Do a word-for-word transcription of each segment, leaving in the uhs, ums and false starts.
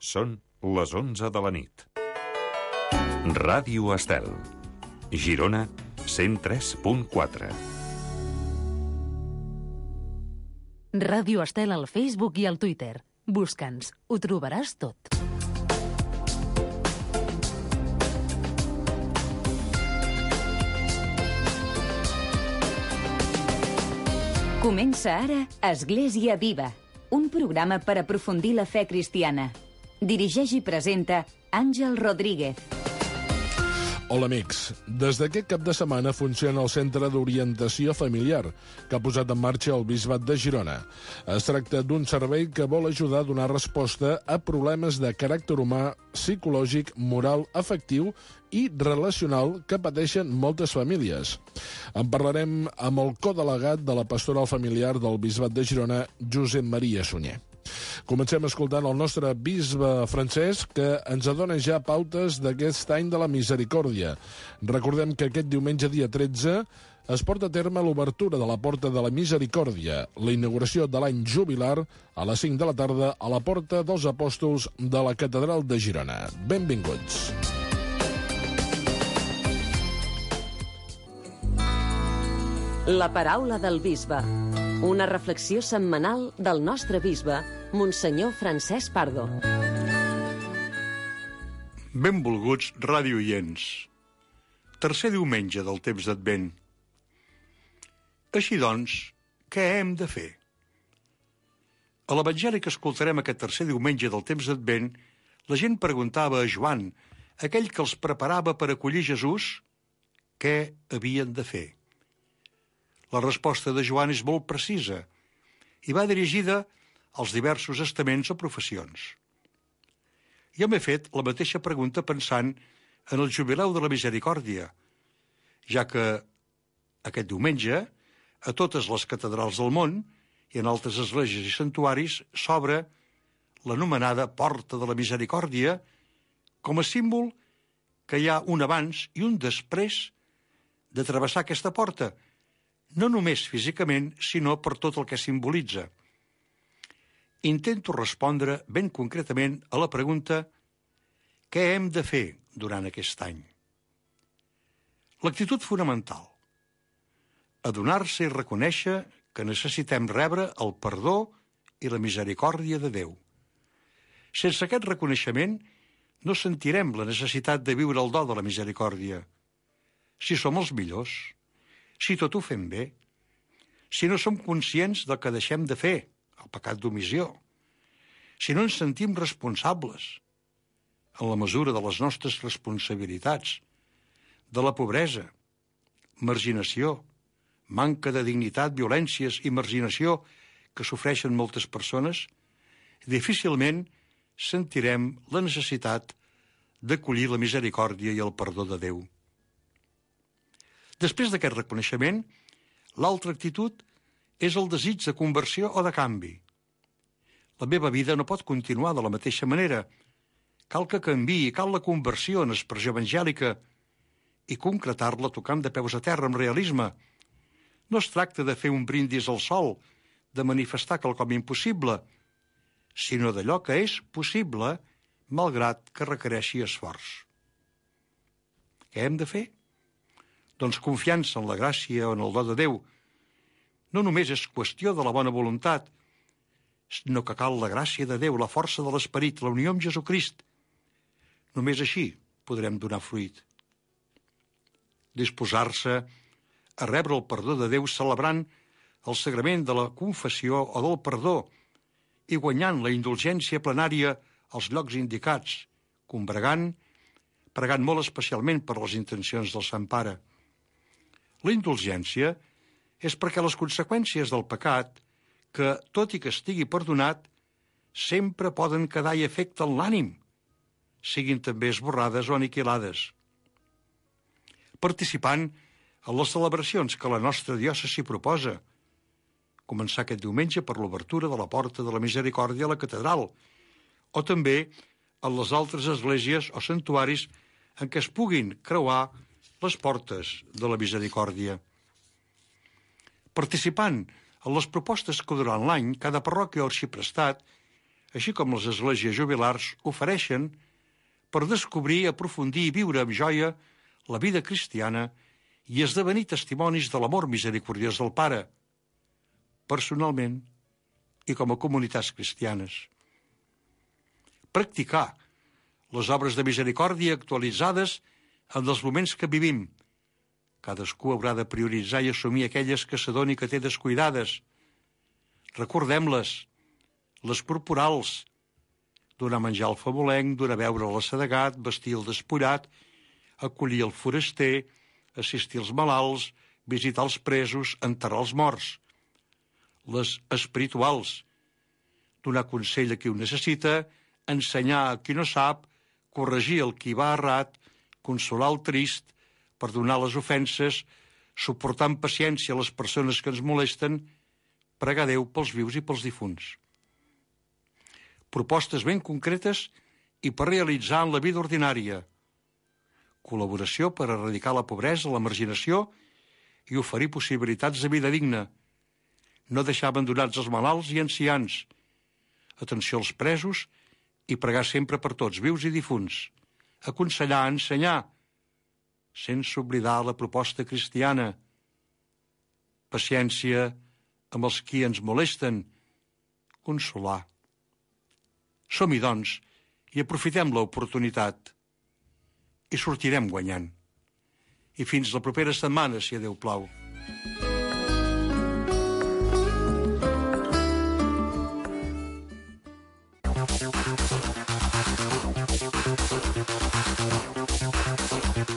Són les onze de la nit. Ràdio Estel. Girona, cent tres punt quatre. Ràdio Estel al Facebook i al Twitter. Busca'ns, ho trobaràs tot. Comença ara Església Viva, un programa per aprofundir la fe cristiana. Dirigeix i presenta Àngel Rodríguez. Hola, amics. Des d'aquest cap de setmana funciona el Centre d'Orientació Familiar, que ha posat en marxa el Bisbat de Girona. Es tracta d'un servei que vol ajudar a donar resposta a problemes de caràcter humà, psicològic, moral, afectiu i relacional que pateixen moltes famílies. En parlarem amb el codelegat de la Pastoral Familiar del Bisbat de Girona, Josep Maria Sunyer. Comencem escoltant el nostre bisbe Francesc, que ens adona ja pautes d'aquest any de la misericòrdia. Recordem que aquest diumenge, dia tretze, es porta a terme l'obertura de la Porta de la Misericòrdia, la inauguració de l'any jubilar a les cinc de la tarda a la Porta dels Apòstols de la Catedral de Girona. Benvinguts. La paraula del bisbe. Una reflexió setmanal del nostre bisbe, Monsenyor Francesc Pardo. Benvolguts radioients. Tercer diumenge del temps d'Advent. Així doncs, què hem de fer? A l'Evangeli que escoltarem aquest tercer diumenge del temps d'Advent, la gent preguntava a Joan, aquell que els preparava per acollir Jesús, què havien de fer. La resposta de Joan és molt precisa i va dirigida als diversos estaments o professions. Jo m'he fet la mateixa pregunta pensant en el jubileu de la misericòrdia, ja que aquest diumenge, a totes les catedrals del món i en altres esglésies i santuaris, s'obre l'anomenada Porta de la Misericòrdia com a símbol que hi ha un abans i un després de travessar aquesta porta, no només físicament, sinó per tot el que simbolitza. Intento respondre ben concretament a la pregunta què hem de fer durant aquest any. L'actitud fonamental: adonar-se i reconèixer que necessitem rebre el perdó i la misericòrdia de Déu. Sense aquest reconeixement no sentirem la necessitat de viure el do de la misericòrdia. Si som els millors, si tot ho fem bé, si no som conscients del que deixem de fer, el pecat d'omissió, si no ens sentim responsables en la mesura de les nostres responsabilitats, de la pobresa, marginació, manca de dignitat, violències i marginació que sofreixen moltes persones, difícilment sentirem la necessitat d'acollir la misericòrdia i el perdó de Déu. Després d'aquest reconeixement, l'altra actitud és el desig de conversió o de canvi. La meva vida no pot continuar de la mateixa manera. Cal que canviï, cal la conversió en expressió evangèlica i concretar-la tocant de peus a terra amb realisme. No es tracta de fer un brindis al sol, de manifestar quelcom impossible, sinó d'allò que és possible, malgrat que requereixi esforç. Què hem de fer? Doncs confiança en la gràcia o en el do de Déu. No només és qüestió de la bona voluntat, sinó que cal la gràcia de Déu, la força de l'esperit, la unió amb Jesucrist. Només així podrem donar fruit. Disposar-se a rebre el perdó de Déu celebrant el sagrament de la confessió o del perdó i guanyant la indulgència plenària als llocs indicats, combregant, pregant molt especialment per les intencions del Sant Pare. La indulgència és perquè les conseqüències del pecat, que, tot i que estigui perdonat, sempre poden quedar i afecten l'ànim, siguin també esborrades o aniquilades. Participant en les celebracions que la nostra diòcesi proposa, començar aquest diumenge per l'obertura de la Porta de la Misericòrdia a la catedral, o també en les altres esglésies o santuaris en què es puguin creuar les portes de la misericòrdia. Participant en les propostes que durant l'any cada parròquia o arxiprestat així com les esglésies jubilars, ofereixen per descobrir, aprofundir i viure amb joia la vida cristiana i esdevenir testimonis de l'amor misericordiós del Pare, personalment i com a comunitats cristianes. Practicar les obres de misericòrdia actualitzades en els moments que vivim. Cadascú haurà de prioritzar i assumir aquelles que s'adoni que té descuidades. Recordem-les, les corporals, donar menjar al famolenc, donar beure a l'assedegat, vestir el despullat, acollir el foraster, assistir els malalts, visitar els presos, enterrar els morts. Les espirituals, donar consell a qui ho necessita, ensenyar a qui no sap, corregir el qui va errat, consolar el trist, perdonar les ofenses, suportar amb paciència les persones que ens molesten, pregar a Déu pels vius i pels difunts. Propostes ben concretes i per realitzar en la vida ordinària. Col·laboració per erradicar la pobresa, la marginació i oferir possibilitats de vida digna. No deixar abandonats els malalts i ancians. Atenció als presos i pregar sempre per tots, vius i difunts. Aconsellar, ensenyar, sense oblidar la proposta cristiana. Paciència amb els qui ens molesten. Consolar. Som-hi, doncs, i aprofitem l'oportunitat. I sortirem guanyant. I fins la propera setmana, si a Déu plau.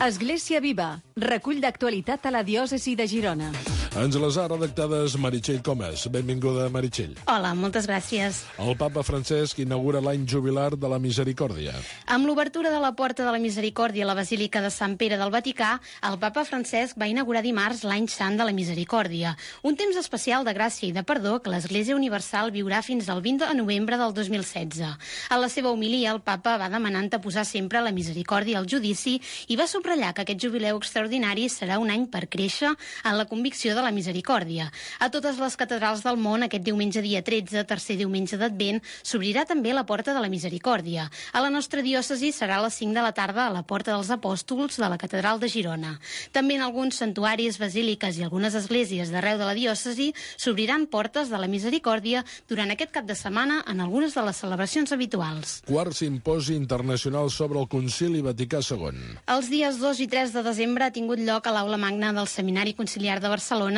Església Viva, recull d'actualitat a la diòcesi de Girona. Ens les ha redactades Meritxell Comas. Benvinguda, Meritxell. Hola, moltes gràcies. El papa Francesc inaugura l'any jubilar de la Misericòrdia. Amb l'obertura de la Porta de la Misericòrdia a la Basílica de Sant Pere del Vaticà, el papa Francesc va inaugurar dimarts l'any sant de la Misericòrdia, un temps especial de gràcia i de perdó que l'Església Universal viurà fins al vint de novembre del dos mil setze. A la seva homilia, el papa va demanant de posar sempre la misericòrdia al judici i va subratllar que aquest jubileu extraordinari serà un any per créixer en la convicció de la misericòrdia. A totes les catedrals del món, aquest diumenge dia tretze, tercer diumenge d'Advent, s'obrirà també la Porta de la Misericòrdia. A la nostra diòcesi serà a les cinc de la tarda a la Porta dels Apòstols de la Catedral de Girona. També en alguns santuaris, basíliques i algunes esglésies d'arreu de la diòcesi s'obriran portes de la misericòrdia durant aquest cap de setmana en algunes de les celebracions habituals. Quart simposi internacional sobre el Concili Vaticà segon. Els dies dos i tres de desembre ha tingut lloc a l'Aula Magna del Seminari Conciliar de Barcelona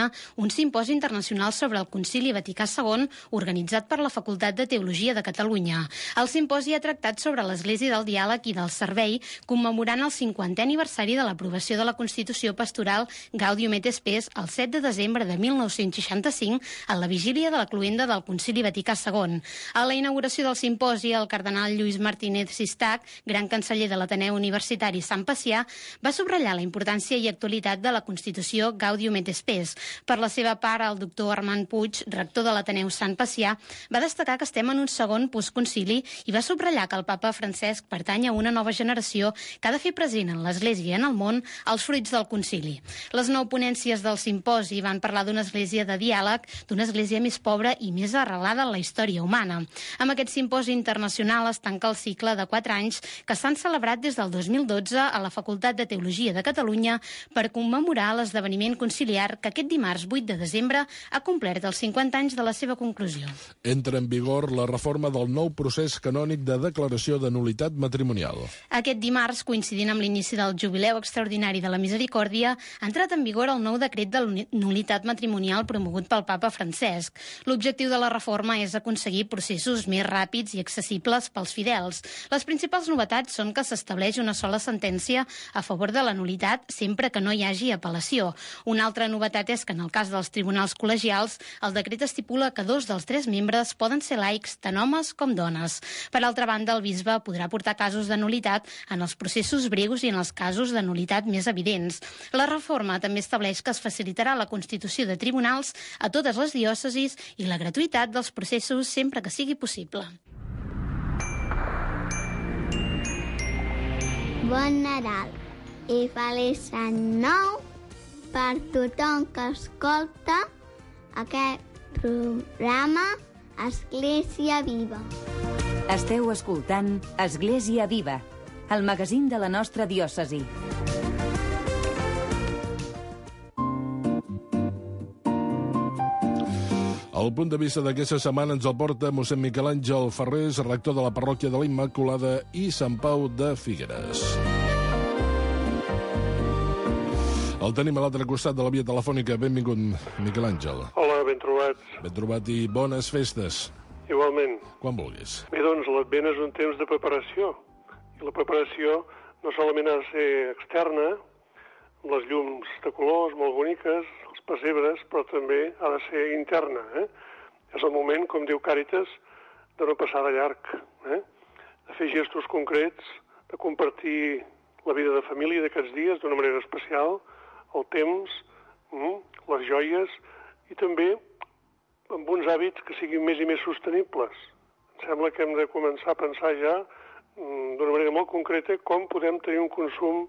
un simposi internacional sobre el Concili Vaticà segon organitzat per la Facultat de Teologia de Catalunya. El simposi ha tractat sobre l'Església del Diàleg i del Servei, commemorant el cinquantè aniversari de l'aprovació de la Constitució Pastoral Gaudium et Spes el set de desembre de mil nou-cents seixanta-cinc, a la vigília de la cloenda del Concili Vaticà segon. A la inauguració del simposi, el cardenal Lluís Martínez Sistac, gran canceller de l'Ateneu Universitari Sant Pacià, va subratllar la importància i actualitat de la Constitució Gaudium et Spes. Per la seva part, el doctor Armand Puig, rector de l'Ateneu Sant Pacià, va destacar que estem en un segon postconcili i va subratllar que el papa Francesc pertany a una nova generació que ha de fer present en l'Església i en el món els fruits del concili. Les nou ponències del simposi van parlar d'una església de diàleg, d'una església més pobra i més arrelada en la història humana. Amb aquest simposi internacional es tanca el cicle de quatre anys que s'han celebrat des del dos mil dotze a la Facultat de Teologia de Catalunya per commemorar l'esdeveniment conciliar que aquest dimarts vuit de desembre ha complert els cinquanta anys de la seva conclusió. Entra en vigor la reforma del nou procés canònic de declaració de nul·litat matrimonial. Aquest dimarts, coincidint amb l'inici del jubileu extraordinari de la Misericòrdia, ha entrat en vigor el nou decret de nul·litat matrimonial promogut pel papa Francesc. L'objectiu de la reforma és aconseguir processos més ràpids i accessibles pels fidels. Les principals novetats són que s'estableix una sola sentència a favor de la nul·litat sempre que no hi hagi apel·lació. Una altra novetat és que en el cas dels tribunals col·legials, el decret estipula que dos dels tres membres poden ser laics, tant homes com dones. Per altra banda, el bisbe podrà portar casos de nul·litat en els processos breus i en els casos de nul·litat més evidents. La reforma també estableix que es facilitarà la constitució de tribunals a totes les diòcesis i la gratuïtat dels processos sempre que sigui possible. Bon Nadal i feliç any nou per tothom que escolta aquest programa Església Viva. Esteu escoltant Església Viva, el magazín de la nostra diòcesi. El punt de vista d'aquesta setmana ens el porta mossèn Miquel Àngel Ferrés, rector de la parròquia de la Immaculada i Sant Pau de Figueres. El tenim a l'altre costat de la via telefònica. Benvingut, Miquel Àngel. Hola, ben trobats. Ben trobat i bones festes. Igualment. Quan vulguis. Bé, doncs, l'Advent és un temps de preparació. I la preparació no solament ha de ser externa, amb les llums de colors molt boniques, els pessebres, però també ha de ser interna. Eh? És el moment, com diu Càritas, de no passar de llarg, eh? de fer gestos concrets, de compartir la vida de família d'aquests dies d'una manera especial, el temps, mm, les joies, i també amb uns hàbits que siguin més i més sostenibles. Em sembla que hem de començar a pensar ja mm, d'una manera molt concreta com podem tenir un consum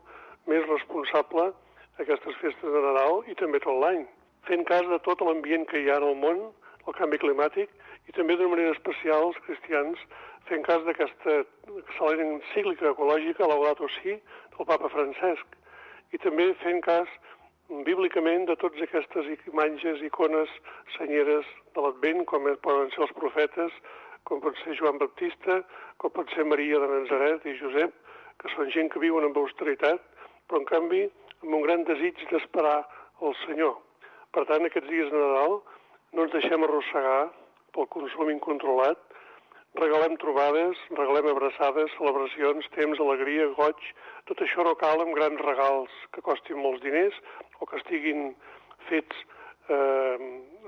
més responsable aquestes festes de Nadal i també tot l'any, fent cas de tot l'ambient que hi ha en el món, el canvi climàtic, i també d'una manera especial els cristians fent cas d'aquesta excel·lent encíclica ecològica, Laudato Si, del papa Francesc, i també fent cas bíblicament de totes aquestes imatges, icones senyeres de l'Advent, com poden ser els profetes, com pot ser Joan Baptista, com pot ser Maria de Nazaret i Josep, que són gent que viuen amb austeritat, però en canvi amb un gran desig d'esperar el Senyor. Per tant, aquests dies de Nadal no ens deixem arrossegar pel consum incontrolat, regalem trobades, regalem abraçades, celebracions, temps, alegria, goig. Tot això no cal amb grans regals que costin molts diners o que estiguin fets eh,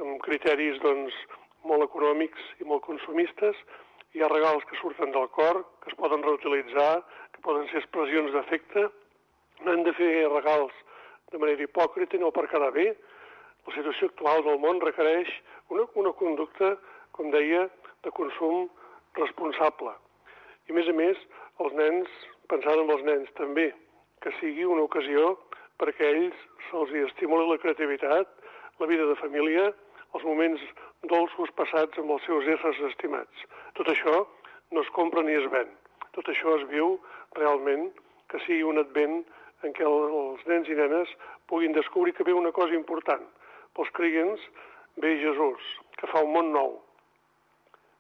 amb criteris doncs, molt econòmics i molt consumistes. Hi ha regals que surten del cor, que es poden reutilitzar, que poden ser expressions d'afecte. No hem de fer regals de manera hipòcrita, no per quedar bé. La situació actual del món requereix una, una conducta, com deia, de consum responsable. I, a més a més, els nens, pensant en els nens també, que sigui una ocasió perquè a ells se'ls estimuli la creativitat, la vida de família, els moments dolços passats amb els seus éssers estimats. Tot això no es compra ni es ven. Tot això es viu realment, que sigui un advent en què els nens i nenes puguin descobrir que ve una cosa important. Pels creients ve Jesús, que fa un món nou.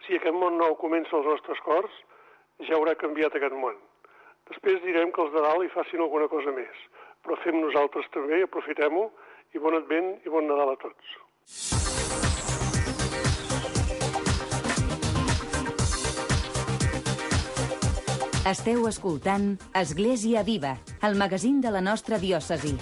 Si aquest món nou comença als nostres cors, ja haurà canviat aquest món. Després direm que els de dalt hi facin alguna cosa més, però fem nosaltres també, aprofitem-ho, i bon advent i bon Nadal a tots. Esteu escoltant Església Viva, el magazín de la nostra diòcesi.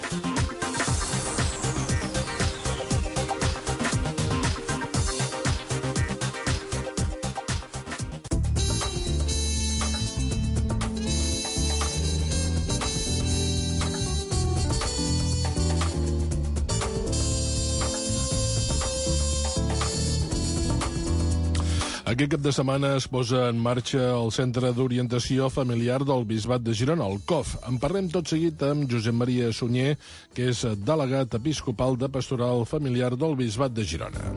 Aquest cap de setmana es posa en marxa el Centre d'Orientació Familiar del Bisbat de Girona, el C O F. En parlem tot seguit amb Josep Maria Sunyer, que és delegat episcopal de Pastoral Familiar del Bisbat de Girona.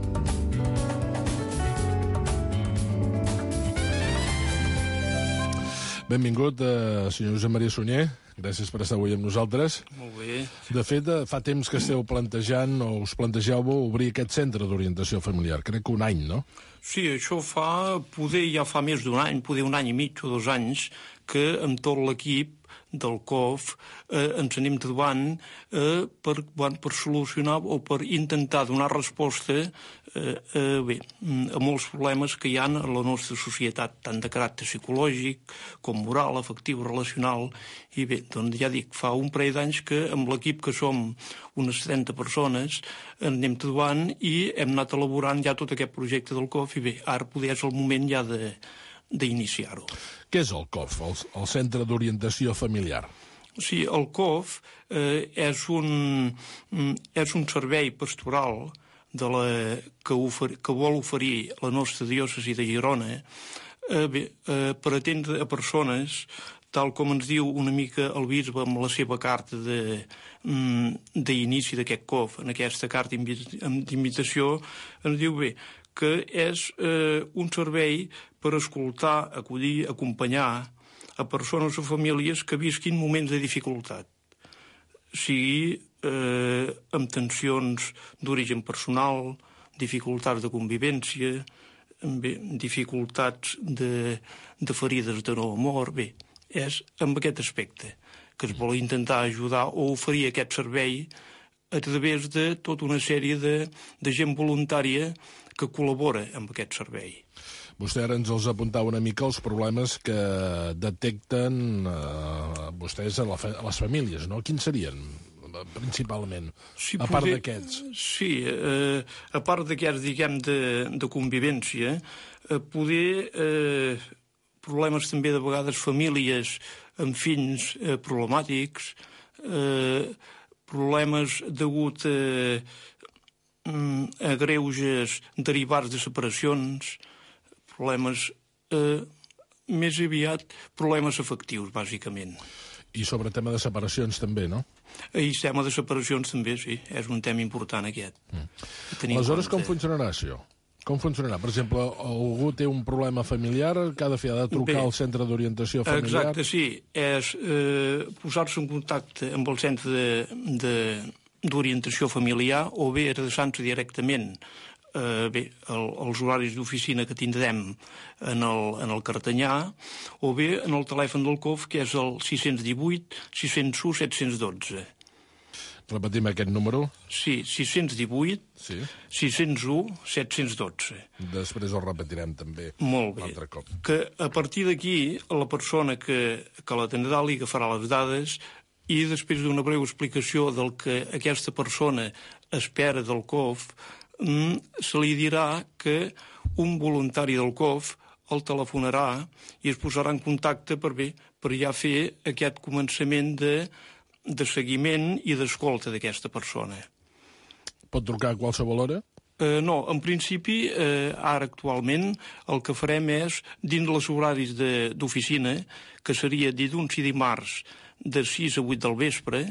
Benvingut, eh, senyor Josep Maria Sunyer. Gràcies per estar avui amb nosaltres. Molt bé. De fet, fa temps que esteu plantejant, o us plantegeu obrir aquest centre d'orientació familiar. Crec que un any, no? Sí, això fa, poder ja fa més d'un any, poder un any i mig o dos anys, que amb tot l'equip del C O F eh, ens anem trobant eh, per, bueno, per solucionar o per intentar donar resposta eh, eh, bé, a molts problemes que hi ha a la nostra societat, tant de caràcter psicològic com moral, afectiu, relacional. I bé, doncs ja dic, fa un parell d'anys que amb l'equip, que som unes trenta persones, anem trobant i hem anat elaborant ja tot aquest projecte del C O F i bé, ara poder és el moment ja de d'iniciar-ho. Què és el C O F, el, el Centre d'Orientació Familiar? Sí, el C O F eh, és, un, és un servei pastoral de la, que, ofer, que vol oferir la nostra diòcesi de Girona eh, bé, eh, per atendre a persones, tal com ens diu una mica el bisbe amb la seva carta d'inici d'aquest C O F, en aquesta carta d'invitació, ens diu bé, que és eh, un servei per per escoltar, acollir, acompanyar a persones o famílies que visquin moments de dificultat, sigui eh, amb tensions d'origen personal, dificultats de convivència, bé, dificultats de, de ferides de no amor. Bé, és amb aquest aspecte que es vol intentar ajudar o oferir aquest servei a través de tota una sèrie de, de gent voluntària que col·labora amb aquest servei. Vostè ara ens els apuntava una mica els problemes que detecten eh, vostès a, la fa a les famílies, no? Quins serien, principalment, sí, a part poder, d'aquests? Sí, eh, a part d'aquests, diguem, de, de convivència, eh, poder eh, problemes també de vegades famílies amb fills eh, problemàtics, eh, problemes degut a, a greuges derivats de separacions, problemes eh, més aviat problemes afectius, bàsicament. I sobre tema de separacions també, no? I tema de separacions també, sí. És un tema important aquest. Mm. Aleshores, com funcionarà això? Com funcionarà? Per exemple, algú té un problema familiar que ha de fer, ha de trucar Bé, al centre d'orientació familiar? Exacte, sí. És eh, posar-se en contacte amb el centre d'orientació familiar o bé adreçant-se directament eh, bé, el, els horaris d'oficina que tindrem en el, en el Cartanyà, o bé en el telèfon del C O F, que és el sis cents divuit, sis cents u, set cents dotze. Repetim aquest número? Sí, sis cents divuit, sí. sis cents u, set cents dotze. Després el repetirem també. Molt bé. L'altre cop. Que a partir d'aquí, la persona que, que l'atendrà li agafarà les dades i després d'una breu explicació del que aquesta persona espera del C O F, se li dirà que un voluntari del C O F el telefonarà i es posarà en contacte per, bé, per ja fer aquest començament de, de seguiment i d'escolta d'aquesta persona. Pot trucar a qualsevol hora? Eh, no, en principi, eh, ara actualment, el que farem és, dins els horaris d'oficina, que seria dilluns i dimarts de sis a vuit del vespre,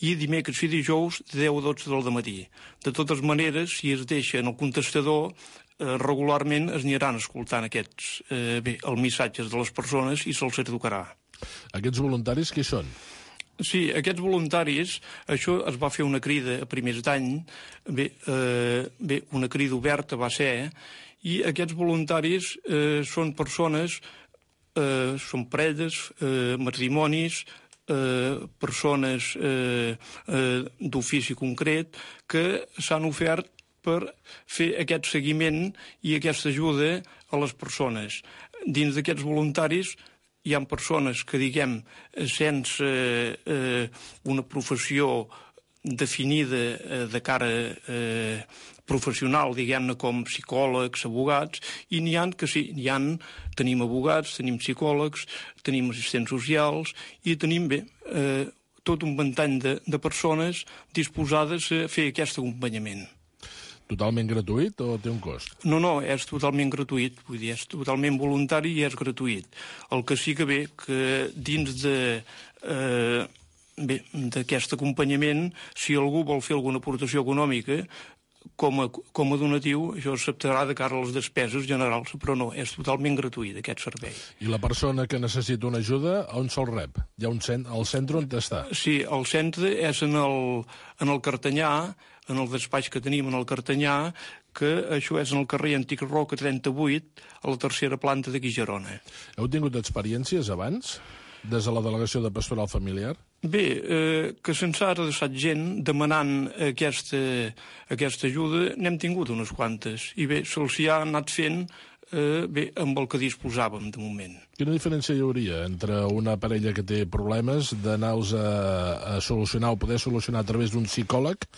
i dimecres i dijous de deu a dotze del dematí. De totes maneres, si es deixa en el contestador, eh, regularment es aniran escoltant aquests, eh, bé, els missatges de les persones i se'ls educarà. Aquests voluntaris qui són? Sí, aquests voluntaris, això es va fer una crida a primers d'any, bé, eh, bé, una crida oberta va ser, i aquests voluntaris eh, són persones, eh, són parelles, eh, matrimonis, eh, persones eh, eh, d'ofici concret que s'han ofert per fer aquest seguiment i aquesta ajuda a les persones. Dins d'aquests voluntaris hi ha persones que, diguem, sense eh, una professió definida eh, de cara eh, professional, diguem-ne, com psicòlegs, abogats, i n'hi ha que sí, n'hi ha, tenim abogats, tenim psicòlegs, tenim assistents socials, i tenim, bé, eh, tot un ventall de, de persones disposades a fer aquest acompanyament. Totalment gratuït o té un cost? No, no, és totalment gratuït, vull dir, és totalment voluntari i és gratuït. El que sí que bé, que dins de... Eh, bé, d'aquest acompanyament, si algú vol fer alguna aportació econòmica, com a, com a donatiu, això s'acceptarà de cara a les despeses generals, però no, és totalment gratuït, aquest servei. I la persona que necessita una ajuda, on se'l rep? Hi ha un cent... el centre on està? Sí, el centre és en el, en el Cartanyà, en el despatx que tenim en el Cartanyà, que això és en el carrer Antic Roca trenta-vuit, a la tercera planta d'aquí Girona. Heu tingut experiències abans, des de la delegació de Pastoral Familiar? Bé, eh, que se'ns ha adreçat gent demanant aquesta, aquesta ajuda, n'hem tingut unes quantes. I bé, se'ls hi ha anat fent eh, bé, amb el que disposàvem de moment. Quina diferència hi hauria entre una parella que té problemes d'anar-los a, a solucionar o poder solucionar a través d'un psicòleg,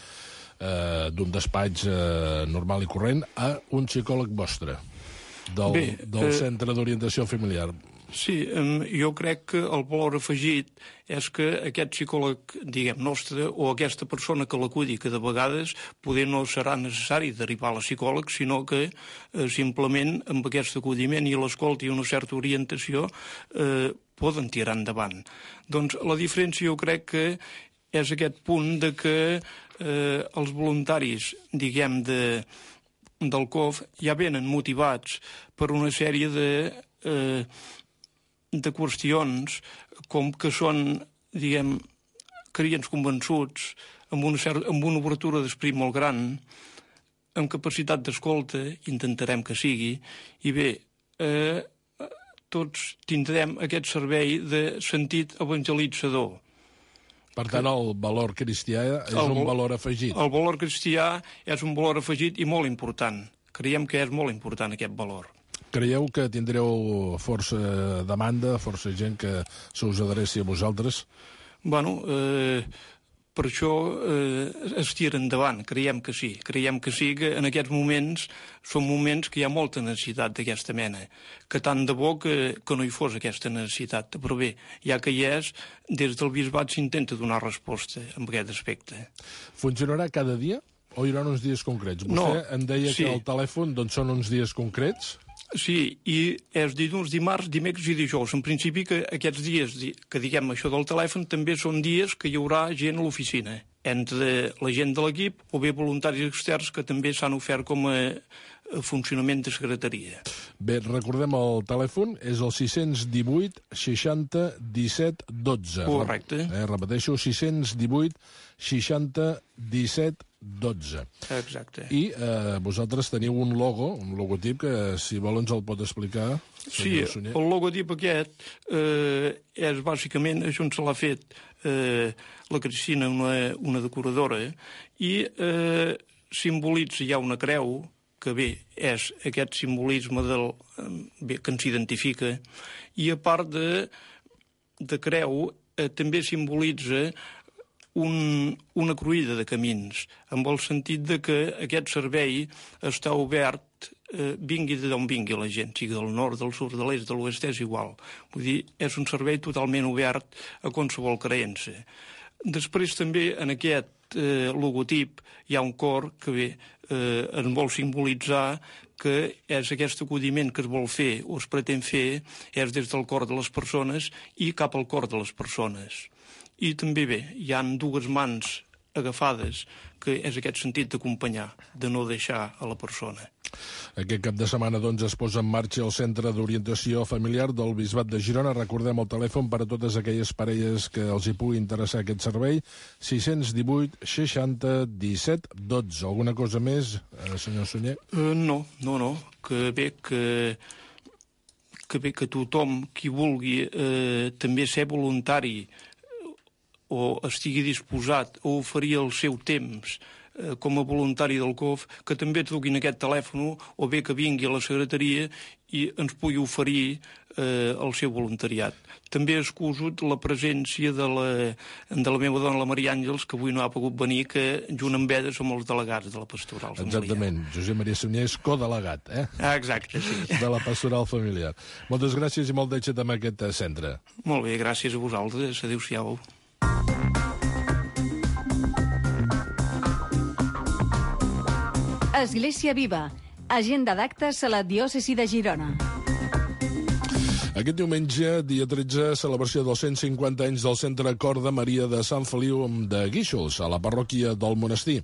eh, d'un despatx eh, normal i corrent, a un psicòleg vostre, del, Bé, del eh... Centre d'Orientació Familiar? Sí, jo crec que el valor afegit és que aquest psicòleg, diguem, nostre, o aquesta persona que l'acudi, que de vegades poder no serà necessari derivar a la psicòleg, sinó que eh, simplement amb aquest acudiment i l'escolta i una certa orientació eh, poden tirar endavant. Doncs la diferència jo crec que és aquest punt de que eh, els voluntaris, diguem, de del C O F ja venen motivats per una sèrie de, eh, de qüestions com que són, diguem, creients convençuts, amb una, certa, amb una obertura d'esperit molt gran, amb capacitat d'escolta, intentarem que sigui, i bé, eh, tots tindrem aquest servei de sentit evangelitzador. Per tant, el valor cristià és el, un valor afegit. El valor cristià és un valor afegit i molt important. Creiem que és molt important aquest valor. Creieu que tindreu força demanda, força gent que se us adreci a vosaltres? Bueno, eh, per això eh, es tira endavant, creiem que sí. Creiem que sí, que en aquests moments són moments que hi ha molta necessitat d'aquesta mena, que tant de bo que, que no hi fos aquesta necessitat. Però bé, ja que hi és, des del bisbat s'intenta donar resposta en aquest aspecte. Funcionarà cada dia o hi haurà uns dies concrets? Vostè no, em deia sí. que el telèfon doncs, són uns dies concrets? Sí, i és dilluns, dimarts, dimecres i dijous. En principi que aquests dies que diguem això del telèfon també són dies que hi haurà gent a l'oficina, entre la gent de l'equip o bé voluntaris externs que també s'han ofert com a funcionament de secretaria. Bé, recordem el telèfon, és el sis divuit seixanta disset dotze. Correcte. Eh, repeteixo, sis divuit seixanta disset dotze. Exacte. I eh, vosaltres teniu un logo, un logotip, que si vol ens el pot explicar. Sí, el logotip aquest eh, és bàsicament, això se l'ha fet eh, la Cristina, una, una decoradora, i eh, simbolitza ja una creu, que bé, és aquest simbolisme del, bé, que ens identifica, i a part de, de creu eh, també simbolitza un, una cruïlla de camins, amb el sentit de que aquest servei està obert, eh, vingui d'on vingui la gent, sigui del nord, del sud, de l'est, de l'oest, és igual. Vull dir, és un servei totalment obert a qualsevol creença. Després també en aquest eh, logotip hi ha un cor que bé, eh, ens vol simbolitzar que és aquest acudiment que es vol fer o es pretén fer és des del cor de les persones i cap al cor de les persones. I també bé, hi han dues mans agafades, que és aquest sentit d'acompanyar, de no deixar a la persona. Aquest cap de setmana doncs, es posa en marxa el Centre d'Orientació Familiar del Bisbat de Girona. Recordem el telèfon per a totes aquelles parelles que els hi pugui interessar aquest servei, sis divuit seixanta disset dotze. Alguna cosa més, eh, senyor Sunyer? Uh, no, no, no. Que bé que, que, bé que tothom qui vulgui eh, també ser voluntari o estigui disposat a oferir el seu temps eh, com a voluntari del C O F, que també truquin aquest telèfon o bé que vingui a la secretaria i ens pugui oferir eh, el seu voluntariat. També excuso la presència de la, de la meva dona, la Maria Àngels, que avui no ha pogut venir, que junt amb ella som els delegats de la pastoral familiar. Exactament. Josep Maria Sunyer és codelegat, eh? Ah, exacte, sí. De la pastoral familiar. Moltes gràcies i molt d'èxit amb aquest centre. Molt bé, gràcies a vosaltres. Adéu-siau. Església Viva, agenda d'actes a la diòcesi de Girona. Aquest diumenge, dia tretze, celebració dels cent cinquanta anys del Centre Cor de Maria de Sant Feliu de Guíxols, a la parròquia del monestir.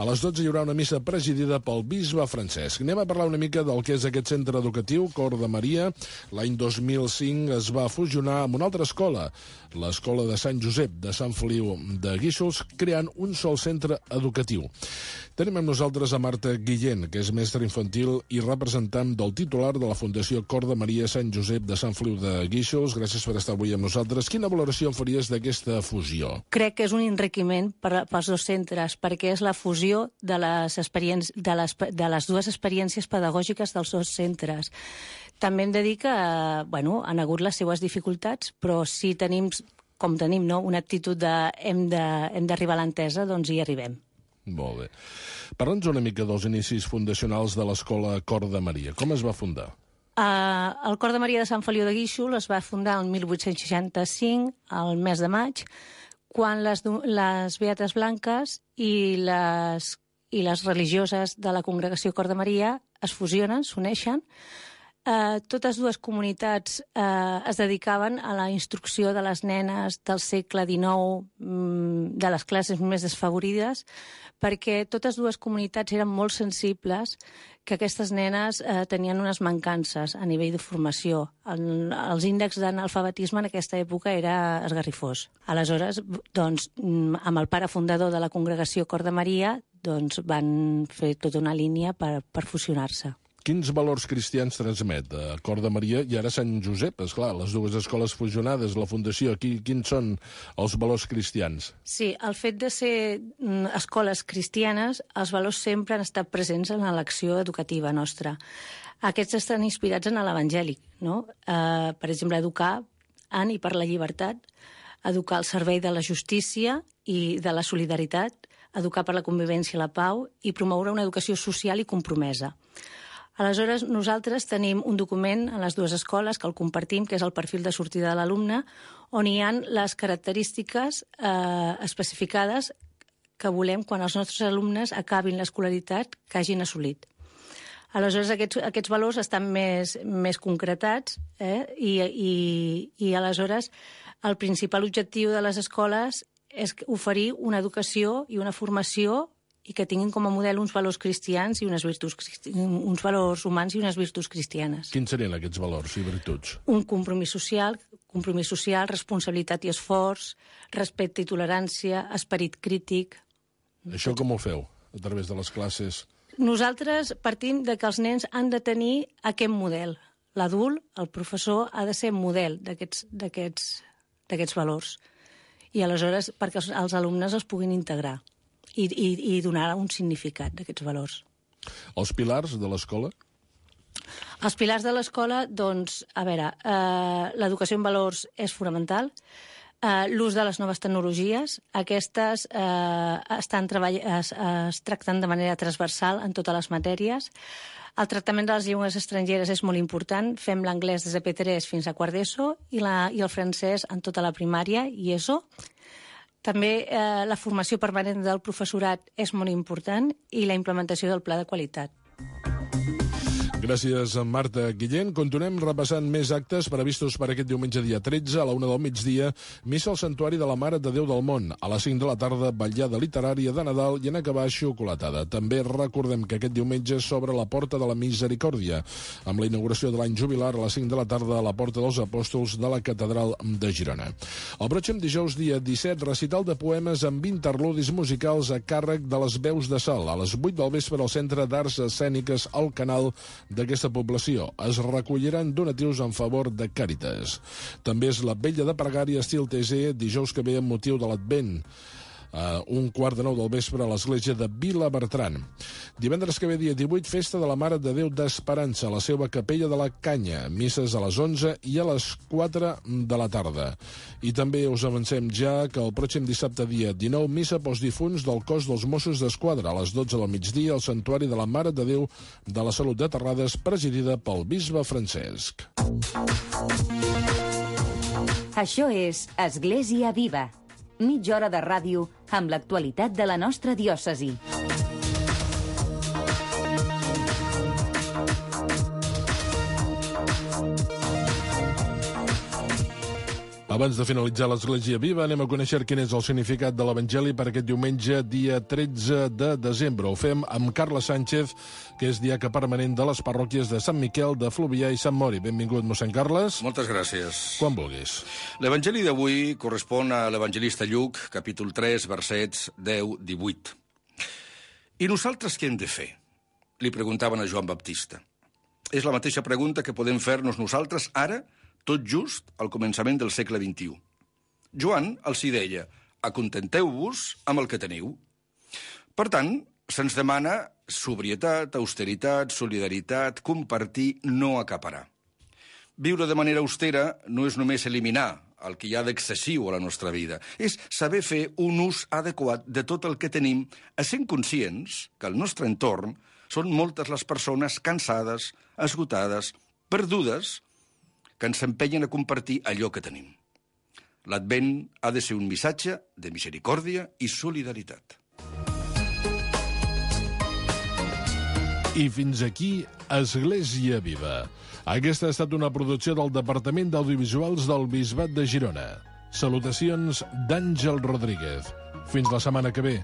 A les dotze hi haurà una missa presidida pel bisbe Francesc. Anem a parlar una mica del que és aquest centre educatiu, Cor de Maria. L'any dos mil cinc es va fusionar amb una altra escola, l'escola de Sant Josep de Sant Feliu de Guíxols, creant un sol centre educatiu. Tenim amb nosaltres a Marta Guillén, que és mestra infantil i representant del titular de la Fundació Cor de Maria Sant Josep de Sant Feliu de Guíxols. Gràcies per estar avui amb nosaltres. Quina valoració en faries d'aquesta fusió? Crec que és un enriquiment per, pels dos centres, perquè és la fusió de les, de les, de les dues experiències pedagògiques dels dos centres. També hem de dir que bueno, han hagut les seues dificultats, però si tenim, com tenim, no, una actitud de hem d'arribar a l'entesa, doncs hi arribem. Molt bé. Parla'ns una mica dels inicis fundacionals de l'escola Cor de Maria. Com es va fundar? Uh, el Cor de Maria de Sant Feliu de Guíxols es va fundar el mil vuit-cents seixanta-cinc, al mes de maig, quan les, les Beates Blanques i les, i les religioses de la congregació Cor de Maria es fusionen, s'uneixen, eh, totes dues comunitats eh, es dedicaven a la instrucció de les nenes del segle dinou, mm, de les classes més desfavorides, perquè totes dues comunitats eren molt sensibles que aquestes nenes eh, tenien unes mancances a nivell de formació. El, els índexs d'analfabetisme en aquesta època era esgarrifós. Aleshores, doncs, amb el pare fundador de la congregació Cor de Maria, doncs, van fer tota una línia per, per fusionar-se. Quins valors cristians transmet a Cor de Maria i ara Sant Josep? Esclar, les dues escoles fusionades, la fundació, aquí, quins són els valors cristians? Sí, el fet de ser mm, escoles cristianes, els valors sempre han estat presents en l'acció educativa nostra. Aquests estan inspirats en l'evangèlic, no? Eh, per exemple, educar en i per la llibertat, educar al servei de la justícia i de la solidaritat, educar per la convivència i la pau i promoure una educació social i compromesa. Aleshores, nosaltres tenim un document a les dues escoles que el compartim, que és el perfil de sortida de l'alumne, on hi ha les característiques eh, especificades que volem quan els nostres alumnes acabin l'escolaritat que hagin assolit. Aleshores, aquests, aquests valors estan més, més concretats eh? I, i, i aleshores el principal objectiu de les escoles és oferir una educació i una formació i que tinguin com a model uns valors cristians i unes virtuts, uns valors humans i unes virtuts cristianes. Quins serien aquests valors i virtuts? Un compromís social, compromís social, responsabilitat i esforç, respecte i tolerància, esperit crític. Això com ho feu, a través de les classes? Nosaltres partim de que els nens han de tenir aquest model. L'adult, el professor, ha de ser model d'aquests d'aquests d'aquests valors. I aleshores, perquè els, els alumnes els puguin integrar. I, i, i donar un significat d'aquests valors. Els pilars de l'escola? Els pilars de l'escola, doncs, a veure, eh, l'educació en valors és fonamental, eh, l'ús de les noves tecnologies, aquestes eh, estan treball es, es tracten de manera transversal en totes les matèries, el tractament de les llengües estrangeres és molt important, fem l'anglès des de P tres fins a quart d'ESO i, la, i el francès en tota la primària i ESO. També eh, la formació permanent del professorat és molt important i la implementació del pla de qualitat. Gràcies, Marta Guillén. Continuem repassant més actes previstos per aquest diumenge dia tretze, a la una del migdia, missa al Santuari de la Mare de Déu del Món. A les cinc de la tarda, vetllada literària de Nadal i en acabar xocolatada. També recordem que aquest diumenge s'obre la Porta de la Misericòrdia, amb la inauguració de l'any jubilar a les cinc de la tarda a la Porta dels Apòstols de la Catedral de Girona. El pròxim dijous, dia disset, recital de poemes amb interludis musicals a càrrec de les Veus de Sal, a les vuit del vespre al Centre d'Arts Escèniques al Canal d'aquesta població. Es recolliran donatius en favor de Càritas. També és la vetlla de pregària estil T C dijous que ve amb motiu de l'Advent. Uh, un quart de nou del vespre a l'església de Vilabertran. Divendres que ve, dia divuit, festa de la Mare de Déu d'Esperança a la seva capella de la Canya, misses a les onze i a les quatre de la tarda. I també us avancem ja que el pròxim dissabte, dia dinou, missa pels difunts del cos dels Mossos d'Esquadra a les dotze del migdia al Santuari de la Mare de Déu de la Salut de Terrades, presidida pel bisbe Francesc. Això és Església Viva. Mitja hora de ràdio amb l'actualitat de la nostra diòcesi. Abans de finalitzar l'Església Viva, anem a conèixer quin és el significat de l'Evangeli per aquest diumenge, dia tretze de desembre. Ho fem amb Carles Sánchez, que és diaca permanent de les parròquies de Sant Miquel, de Fluvià i Sant Mori. Benvingut, mossèn Carles. Moltes gràcies. Quan vulguis. L'Evangeli d'avui correspon a l'Evangelista Lluc, capítol tres, versets deu a divuit. I nosaltres què hem de fer? Li preguntaven a Joan Baptista. És la mateixa pregunta que podem fer-nos nosaltres ara, tot just al començament del segle vint-i-u. Joan els hi deia, acontenteu-vos amb el que teniu. Per tant, se'ns demana sobrietat, austeritat, solidaritat, compartir, no acaparar. Viure de manera austera no és només eliminar el que hi ha d'excessiu a la nostra vida, és saber fer un ús adequat de tot el que tenim, essent conscients que al nostre entorn són moltes les persones cansades, esgotades, perdudes, que ens empenyen a compartir allò que tenim. L'Advent ha de ser un missatge de misericòrdia i solidaritat. I fins aquí Església Viva. Aquesta ha estat una producció del Departament d'Audiovisuals del Bisbat de Girona. Salutacions d'Àngel Rodríguez. Fins la setmana que ve.